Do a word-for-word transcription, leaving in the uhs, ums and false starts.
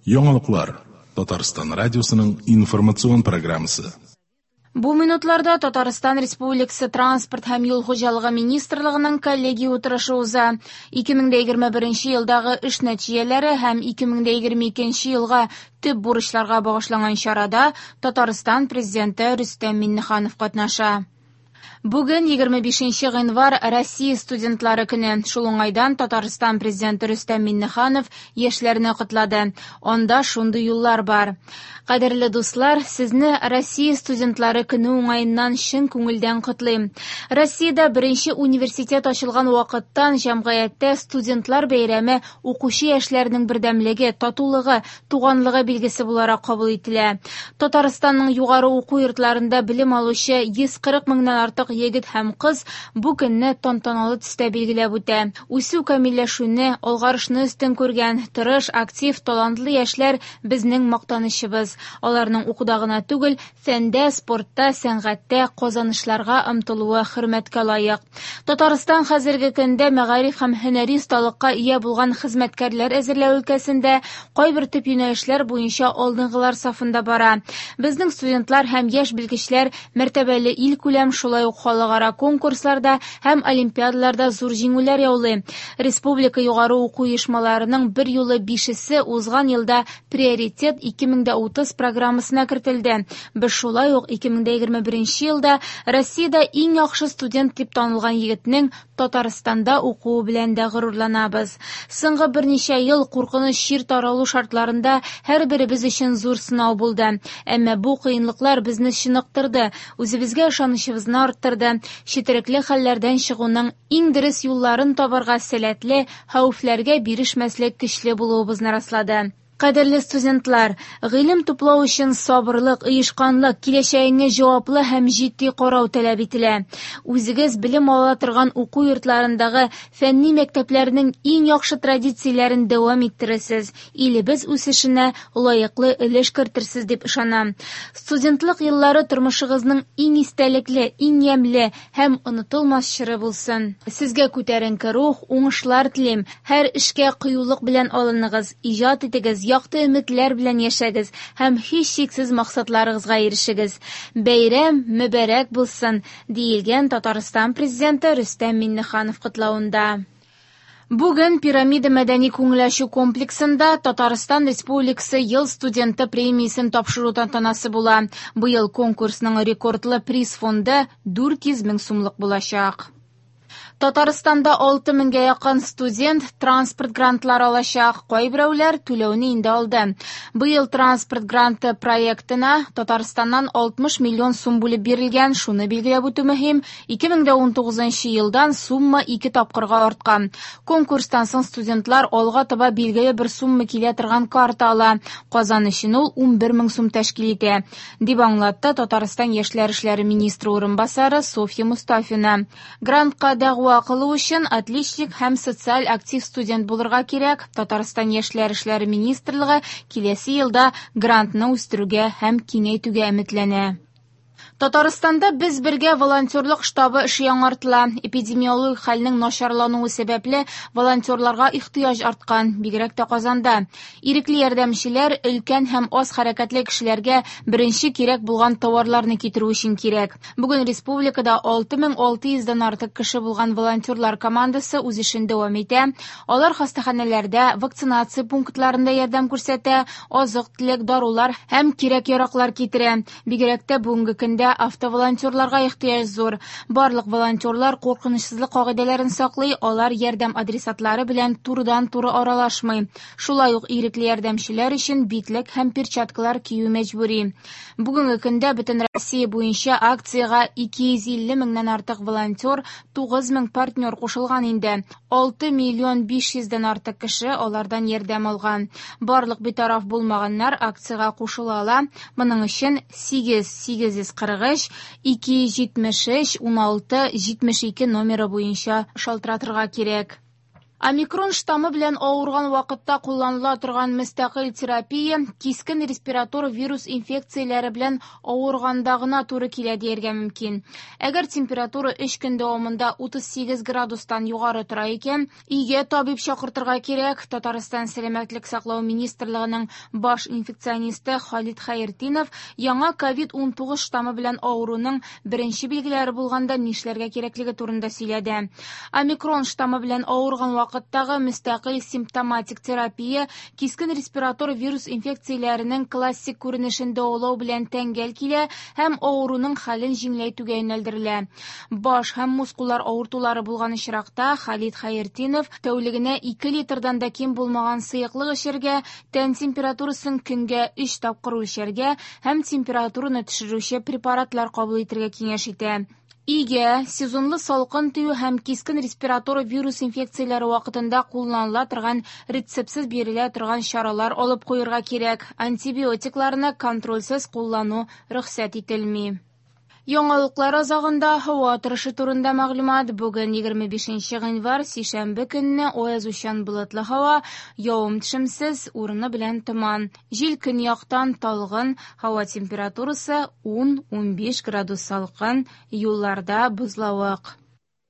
Яңалыклар. Татарстан радиосының информацион программасы. Бу минутларда Татарстан Республикасы Транспорт һәм юл хуҗалыгы министрлыгының коллегия утырышы уза. ике мең егерме беренче елдагы эш нәтиҗәләре һәм ике мең егерме икенче елга төп бурычларга багышланган чарада Татарстан президенты Рөстәм Миңнеханов катнаша. Бүген егерме бишенче гыйнвар Россия студентлары көне. Шул уңайдан Татарстан президенты Рөстәм Миңнеханов яшьләрне котлады. Анда шундый юллар бар. Кадерле дуслар, сезне Россия студентлары көне уңаеннан чын күңелдән котлыйм. Россиядә беренче университет ачылган вакыттан җәмгыятьтә студентлар бәйрәме укучы яшьләрнең бердәмлеге, татулыгы, туганлыгы билгесе буларак кабул ителә. Татарстанның югары уку йортларында белем алучы йөз кырык меңнән артык егет һәм кыз бу көнне тантаналы төстә билгеләп үтә. Үсү камилләшүне, алгарышны өстен күргән, тырыш, актив, талантлы яшьләр безнең мактанычыбыз. Аларның укуда гына түгел, фәндә, спортта, сәнгатьтә казанышларга омтылуы хөрмәткә лаек. Татарстан хәзерге көндә мәгариф һәм һөнәри осталыкка ия булган хезмәткәрләр әзерләү өлкәсендә кайбер төп юнәлешләр буенча алдынгылар сафында бара. Безнең студентлар һәм яшь белгечләр мәртәбәле илкүләм, шулай ук халыкара конкурсларда һәм олимпиадаларда зур җиңүләр яулый. Республика югары уку оешмаларының бер юлы бишесе узган елда Приоритет ике мең дә утыз программасына кертелде. Без шулай ук ике мең дә егерме беренче елда Россиядә иң яхшы студент дип танылган егетнең Татарстанда укуы белән дә горурланабыз. Соңгы берничә ел куркыныч чир таралу шартларында һәрберебез өчен зур сынау булды. Әмма бу кыенлыклар безне чыныктырды, үзебезгә ышанычыбызны арттырды. Четерекле хәлләрдән чыгуның иң дөрес юлларын табарга сәләтле, хәвефләргә бирешмәслек көчле булуыбызны раслады. Кадерле студентлар, гыйлем туплау өчен сабырлык, оешканлык, киләчәгеңә җаваплы һәм җитди карау таләп ителә. Үзегез белем ала торган уку йортларындагы фәнни мәктәпләрнең иң яхшы традицияләрен дәвам иттерерсез, илебез үсешенә лаеклы өлеш кертерсез дип ышанам. Студентлык еллары тормышыгызның иң истәлекле, иң ямьле һәм онытылмас чоры булсын. Сезгә күтәренке рух, уңышлар телим. Һәр эшкә кыюлык белән алыныгыз, иҗат итегез, якты өметләр белән яшәгез һәм һичшиксез максатларыгызга ирешегез. Бәйрәм мөбарәк булсын, диелгән Татарстан президенты Рөстәм Миңнеханов котлавында. Бүген Пирамида мәдәни күңел ачу комплексында Татарстан Республикасы ел студенты премиясен тапшыру тантанасы була. Быел конкурсның рекордлы приз фонды дүрт йөз мең сумлык булачак. Татарстанда алты меңгә якын студент транспорт грантлары алачак. Кайберәүләр түләүне инде алды. Быел транспорт гранты проектына Татарстаннан алтмыш миллион сум бүлеп бирелгән. Шуны билгеләп үтү мөһим. ике мең дә унтугызынчы елдан сумма ике тапкырга арткан. Конкурстан соң студентлар алга таба билгеле бер сумма килә торган карта ала. Казан өчен ул унбер мең сум тәшкил итә, дип аңлатты Татарстан яшьләр эшләре министры урынбасары Софья Мустафина. Грантка дәгъва кылу өчен отличник һәм социаль актив студент булырга кирәк. Татарстан яшьләр эшләре министрлыгы киләсе елда грантны үстерүгә һәм киңәйтүгә өметләнә. Татарстанда без бергә волонтерлык штабы эше яңартыла. Эпидемиологик хәлнең начарлануы сәбәпле волонтерларга ихтыяҗ арткан, бигрәк тә Казанда. Ирекле ярдәмчеләр өлкән һәм аз хәрәкәтле кешеләргә беренче кирәк булган товарларны китерү өчен кирәк. Бүген республикада алты мең алты йөздән артык кеше булган волонтерлар командасы үз эшен дәвам итә. Алар хастаханәләрдә, вакцинация пунктларында ярдәм күрсәтә, азык-төлек, дарулар һәм кирәк-яраклар китерә. Бигрәк тә бүгенге көндә автоволонтерларга ихтыяҗ зур. Барлык волонтерлар куркынычсызлык кагыйдәләрен саклый, алар ярдәм адресатлары белән турыдан-туры аралашмый. Шулай ук ирекле ярдәмчеләр өчен битлек һәм перчаткалар кию мәҗбүри. Бүгенге көндә бөтен Россия буенча акциягә ике йөз илле меңнән артык волонтер, тугыз мең партнер кушылган инде. Алты миллион биш йөздән артык кеше алардан ярдәм алган. Барлык битараф булмаганнар акциягә кушыла ала. Моның өчен сигез сигез йөз кырык өч, ике йөз җитмеш өч, уналты, җитмеш ике номеры буенча шалтыратырга кирәк. Омикрон штаммы белән авырган вакытта кулланыла торган мөстәкыйль терапия кискен респиратор вирус инфекцияләре белән авырганда гына туры килә дияргә мөмкин. Әгәр температура өч көн дәвамында утыз сигез градустан югары тора икән, өйгә табиб чакыртырга кирәк. Татарстан Сәламәтлек саклау министрлыгының баш инфекционисты Халит Хәйретдинов яңа ковид унтугыз штаммы белән авыруның беренче билгеләре булганда нишләргә кирәклеге турында сөйләде. Омикрон штаммы белән авырган вакытта вакыттагы мөстәкыйль симптоматик терапия кискен респиратор вирус инфекцияләренең классик күренешен дәвалау белән тәңгәл килә һәм авыруның хәлен җиңеләйтүгә юнәлдерелә. Баш һәм мускуллар авыртулары булган очракта Халит Хәйретдинов тәүлегенә ике литрдан да ким булмаган сыеклык эчәргә, тән температурасын көнгә өч тапкыр үлчәргә һәм температураны төшерүче препаратлар кабул итәргә киңәш итә. Өйгә сезонлы салкын тию һәм кискен респиратор вирус инфекцияләре вакытында кулланыла торган рецептсыз бирелә торган чаралар алып куярга кирәк. Антибиотикларны контрольсез куллану рөхсәт ителми. Яңалыклар азагында һава торышы турында мәгълүмат. Бүген егерме бишенче гыйнвар, сишәмбе көнне аязучан болытлы һава, явым-төшемсез, урыны белән томан. Җил көньяктан талгын, һава температурасы ун-унбиш градус салкын, юлларда бозлавык.